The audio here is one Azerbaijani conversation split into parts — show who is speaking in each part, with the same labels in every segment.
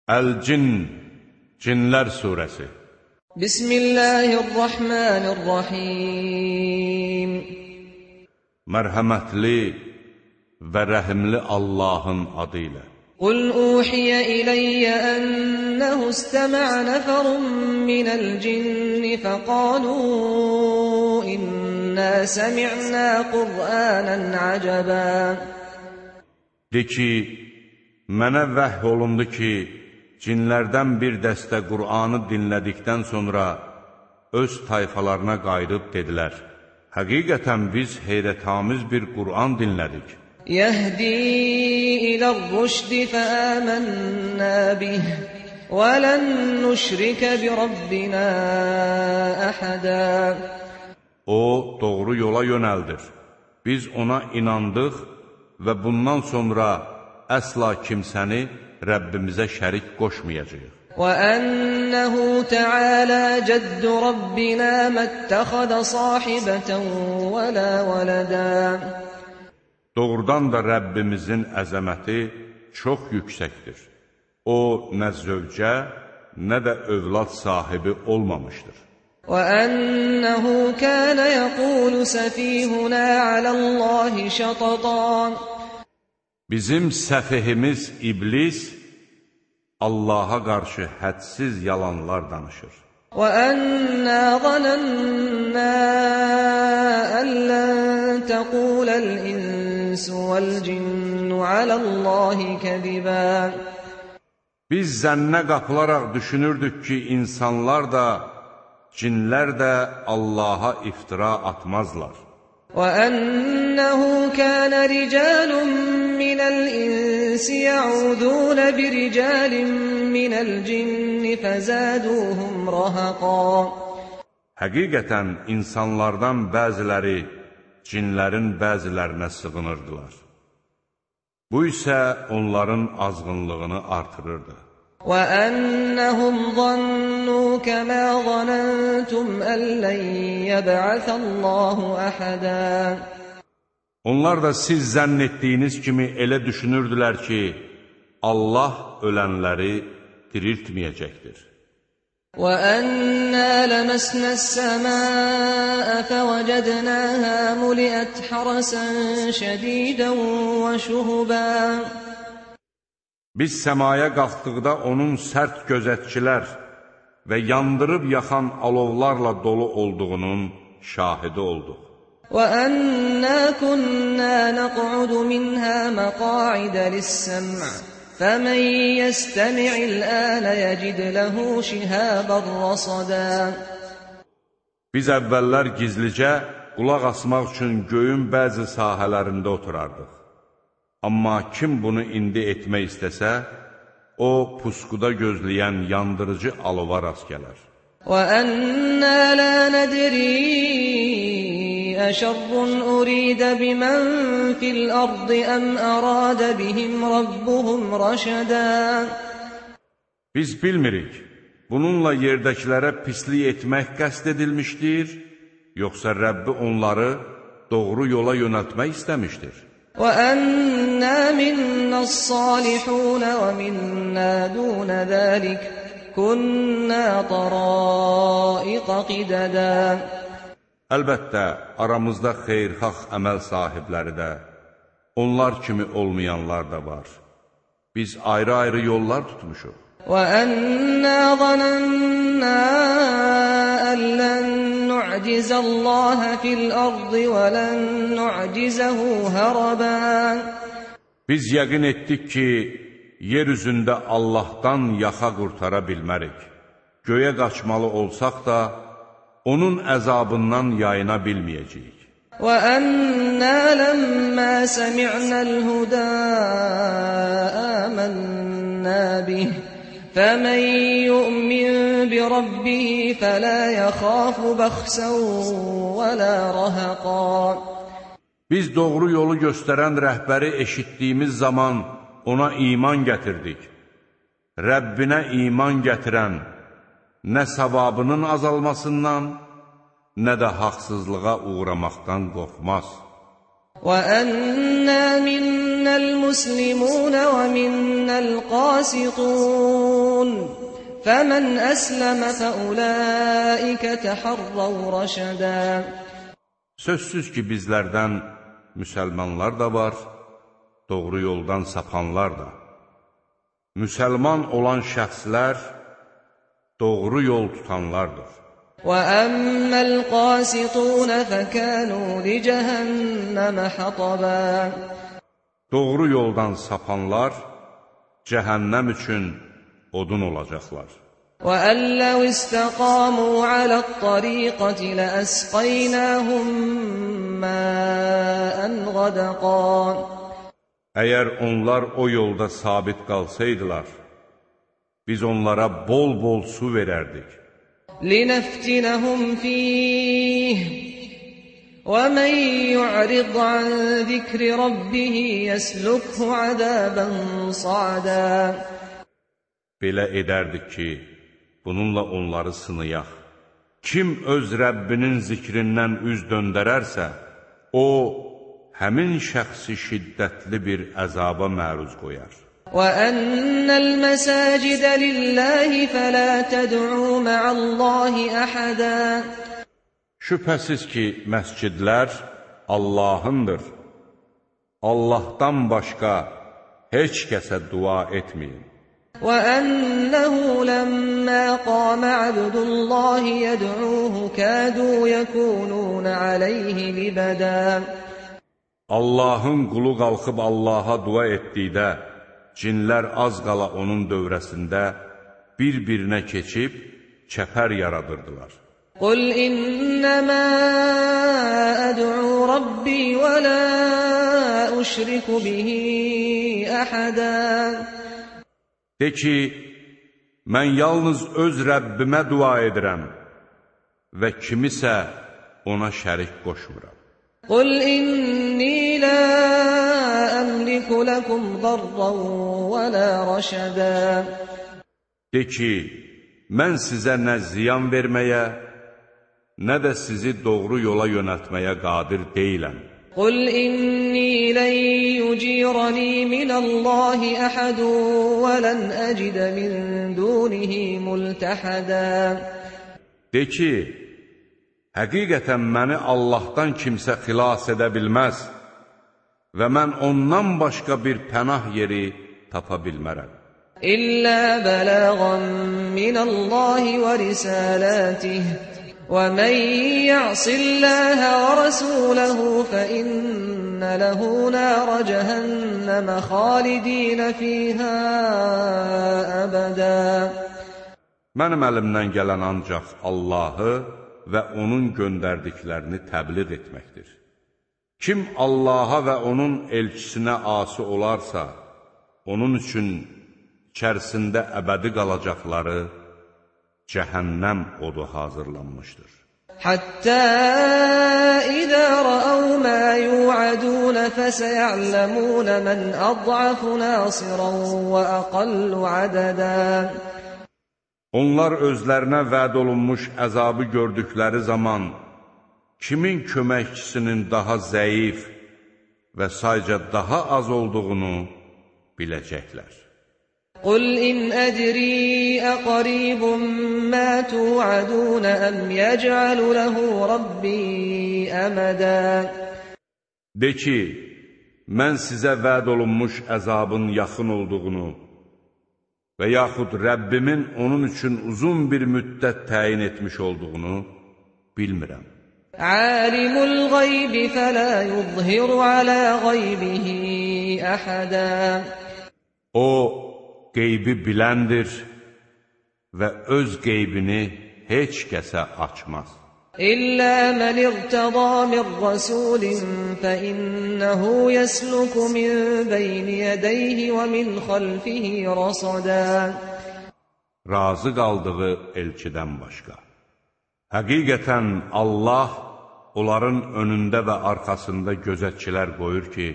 Speaker 1: Əl-Cin, Cinlər Suresi. Bismillahirrahmanirrahim. Mərhəmətli və rəhimli Allahın adı ilə.
Speaker 2: Qul uhiyə iləyyə ənəhu istəmə'ə nəfərun minəl cinni fəqalu innə səmi'nə Qur'anən əcəbə.
Speaker 1: De ki, mənə vəhy olundu ki, cinlərdən bir dəstə Qur'anı dinlədikdən sonra öz tayfalarına qayıdıb dedilər, həqiqətən biz heyrətamiz bir Qur'an dinlədik.
Speaker 2: Yəhdi ilə'r-rüşdi fəəmənnə bih və lən nüşrikə bi Rabbinə əhədə.
Speaker 1: O, doğru yola yönəldir. Biz ona inandıq və bundan sonra əsla kimsəni Rəbbimizə şərik qoşmayacaq.
Speaker 2: وَأَنَّهُ تَعَالَى جَدُّ رَبِّنَا مَا اتَّخَذَ صَاحِبَةً وَلَا وَلَدًا.
Speaker 1: Doğrudan da Rəbbimizin əzəməti çox yüksəkdir. O, nə zövcə, nə də övlad sahibi olmamışdır.
Speaker 2: وَأَنَّهُ كَانَ يَقُولُ سَفِيهُنَا عَلَى اللَّهِ شَطَطًا.
Speaker 1: Bizim səfihimiz İblis Allaha qarşı hədsiz yalanlar danışır.
Speaker 2: وَأَنَّا ظَنَنَّا أَن لَّن تَقُولَ الْإِنسُ وَالْجِنُّ عَلَى اللَّهِ كَذِبًا.
Speaker 1: Biz zənnə qapılaraq düşünürdük ki, insanlar da, cinlər də Allaha iftira atmazlar.
Speaker 2: وَأَنَّهُ كَانَ رِجَالٌ مِّنَ الْإِنسِ يَعُوذُونَ بِرِجَالٍ مِّنَ الْجِنِّ فَزَادُوهُمْ رَهَقًا.
Speaker 1: Həqiqətən insanlardan bəziləri cinlərin bəzilərinə sığınırdılar. Bu isə onların azğınlığını artırırdı.
Speaker 2: وَأَنَّهُمْ ظَنُّوا كَمَا ظَنَنْتُمْ أَن لَّن يَبْعَثَ اللَّهُ أَحَدًا.
Speaker 1: Onlar da siz zənn etdiyiniz kimi elə düşünürdülər ki, Allah ölənləri diriltməyəcəkdir.
Speaker 2: وَأَنَّا لَمَسْنَا السَّمَاءَ فَوَجَدْنَاهَا مُلِئَتْ حَرَسًا شَدِيدًا وَشُهُبًا.
Speaker 1: Biz səmaya qalxdıqda onun sərt gözətçilər və yandırıb yaxan alovlarla dolu olduğunun şahidi olduq.
Speaker 2: وَأَنَّا كُنَّا نَقْعُدُ مِنْهَا مَقَاعِدَ لِلسَّمْعِ فَمَنْ يَسْتَمِعِ الْآنَ يَجِدْ لَهُ شِهَابًا رَصَدًا.
Speaker 1: Biz əvvəllər gizlicə qulaq asmaq üçün göyün bəzi sahələrində oturardıq. Amma kim bunu indi etmək istəsə, o pusquda gözləyən yandırıcı alova rast gələr.
Speaker 2: وَأَنَّا لَا نَدْرِي أَشَرٌّ أُرِيدَ بِمَنْ فِي الْأَرْضِ أَمْ أَرَادَ بِهِمْ رَبُّهُمْ رَشَدًا.
Speaker 1: Biz bilmirik, bununla yerdəkilərə pislik etmək qəsd edilmişdir, yoxsa Rəbbi onları doğru yola yönəltmək istəmişdir.
Speaker 2: وَأَنَّا مِنَّا الصَّالِحُونَ وَمِنَّا دُونَ ذَلِكَ كُنَّا طَرَائِقَ قِدَدًا.
Speaker 1: Əlbəttə, aramızda xeyirxah əməl sahibləri də, onlar kimi olmayanlar da var. Biz ayrı-ayrı yollar tutmuşuq.
Speaker 2: وَأَنَّا ظَنَنَّا أَن لَّن نُّعْجِزَ اللَّهَ فِي الْأَرْضِ وَلَن نُّعْجِزَهُ هَرَبًا.
Speaker 1: Biz yəqin etdik ki, yer üzündə Allahdan yaxa qurtara bilmərik. Göyə qaçmalı olsaq da, onun əzabından yayına bilməyəcəyik.
Speaker 2: وَأَنَّا لَمَّا سَمِعْنَا الْهُدَىٰ آمَنَّا بِهِ فَمَنْ يُؤْمِنْ بِرَبِّهِ فَلَا يَخَافُ بَخْسًا وَلَا رَهَقًا.
Speaker 1: Biz doğru yolu göstərən rəhbəri eşitdiyimiz zaman ona iman gətirdik. Rəbbinə iman gətirən nə savabının azalmasından, nə də haqsızlığa uğramaqdan qorxmaz.
Speaker 2: وَأَنَّا مِنَّا المسلمون ومنا القاسطون فمن أسلم فأولئك تحروا رشدا.
Speaker 1: Sözsüz ki bizlərdən müsəlmanlar da var, doğru yoldan sapanlar da. Müsəlman olan şəxslər doğru yol tutanlardır.
Speaker 2: وَأَمَّا الْقَاسِطُونَ فَكَانُوا لِجَهَنَّمَ حَطَبًا.
Speaker 1: Doğru yoldan sapanlar cəhənnəm üçün odun olacaqlar.
Speaker 2: وَأَنْ لَوْ اسْتَقَامُوا عَلَى الطَّرِيقَةِ لَأَسْقَيْنَاهُمْ مَاءً غَدَقًا.
Speaker 1: Əgər onlar o yolda sabit qalsaydılar, biz onlara bol-bol su verərdik.
Speaker 2: لِنَفْتِنَهُمْ فِيهِ وَمَنْ يُعْرِضْ عَنْ ذِكْرِ رَبِّهِ يَسْلُكْهُ عَذَابًا صَعَدًا.
Speaker 1: Belə edərdik ki, bununla onları sınayaq. Kim öz Rəbbinin zikrindən üz döndərərsə, o, həmin şəxsi şiddətli bir əzaba məruz qoyar.
Speaker 2: وَأَنَّ الْمَسَاجِدَ لِلَّهِ فَلَا تَدْعُوا مَعَ اللَّهِ أَحَدًا.
Speaker 1: Şübhəsiz ki, məscidlər Allahındır. Allahdan başqa heç kəsə dua etməyin.
Speaker 2: وَأَنَّهُ لَمَّا قَامَ عَبْدُ اللَّهِ يَدْعُوهُ كَادُوا يَكُونُونَ عَلَيْهِ لِبَدًا.
Speaker 1: Allahın qulu qalxıb Allaha dua etdikdə, cinlər az qala onun dövrəsində bir-birinə keçib çəpər yaradırdılar.
Speaker 2: قُلْ إِنَّمَا أَدْعُو رَبِّي وَلَا أُشْرِكُ بِهِ أَحَدًا.
Speaker 1: De ki, mən yalnız öz Rəbbimə dua edirəm və kimisə ona şərik qoşmuram.
Speaker 2: قُلْ إِنِّي لَا أَمْلِكُ لَكُمْ ضَرًّا وَلَا رَشَدًا.
Speaker 1: De ki, mən sizə nə ziyan verməyə, nə də sizi doğru yola yönəltməyə qadir deyiləm.
Speaker 2: قُلْ إِنِّي لَنْ يُجِيرَنِي مِنَ اللَّهِ أَحَدٌ وَلَنْ أَجِدَ مِنْ دُونِهِ مُلْتَحَدًا.
Speaker 1: De ki, həqiqətən məni Allahdan kimsə xilas edə bilməz və mən ondan başqa bir pənah yeri tapa bilmərəm.
Speaker 2: إِلَّا بَلَاغًا مِنَ اللَّهِ وَرِسَالَاتِهِ وَمَنْ يَعْصِ اللَّهَ وَرَسُولَهُ فَإِنَّ لَهُ نَارَ جَهَنَّمَ خَالِدِينَ فِيهَا أَبَدًا.
Speaker 1: Mənim əlimdən gələn ancaq Allahı və onun göndərdiklərini təbliğ etməkdir. Kim Allaha və onun elçisinə asi olarsa, onun üçün içərisində əbədi qalacaqları cəhənnəm odu hazırlanmışdır.
Speaker 2: حَتَّى إِذَا رَأَوْا مَا يُوعَدُونَ فَسَيَعْلَمُونَ مَنْ أَضْعَفُ نَاصِرًا وَأَقَلُّ عَدَدًا.
Speaker 1: Onlar özlərinə vəd olunmuş əzabı gördükləri zaman kimin köməkçisinin daha zəif və sayca daha az olduğunu biləcəklər.
Speaker 2: قُلْ إِنْ أَدْرِي أَقَرِيبٌ مَا تُوعَدُونَ أَمْ يَجْعَلُ لَهُ رَبِّي أَمَدًا.
Speaker 1: De ki, mən sizə vəd olunmuş əzabın yaxın olduğunu və yaxud Rəbbimin onun üçün uzun bir müddət təyin etmiş olduğunu bilmirəm.
Speaker 2: عَالِمُ الْغَيْبِ فَلَا يُظْهِرُ عَلَى غَيْبِهِ أَحَدًا.
Speaker 1: O, qeybi biləndir və öz qeybini heç kəsə açmaz.
Speaker 2: إِلَّا مَنِ ارْتَضَى مِنْ رَسُولٍ فَإِنَّهُ يَسْلُكُ مِنْ بَيْنِ يَدَيْهِ وَمِنْ خَلْفِهِ رَصَدًا.
Speaker 1: Razı qaldığı elçidən başqa. Həqiqətən Allah onların önündə və arxasında gözətçilər qoyur ki,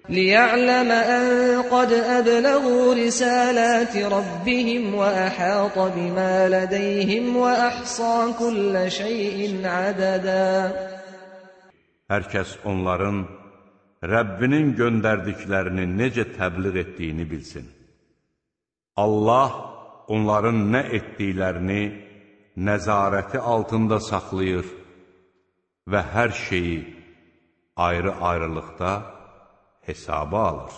Speaker 2: لِيَعْلَمَ أَنْ قَدْ أَبْلَغُوا رِسَالَاتِ رَبِّهِمْ وَأَحَاطَ بِمَا لَدَيْهِمْ وَأَحْصَى كُلَّ شَيْءٍ عَدَدًا.
Speaker 1: Hər kəs onların Rəbbinin göndərdiklərini necə təbliğ etdiyini bilsin. Allah onların nə etdiklərini nəzarəti altında saxlayır və hər şeyi ayrı-ayrılıqda hesaba alır.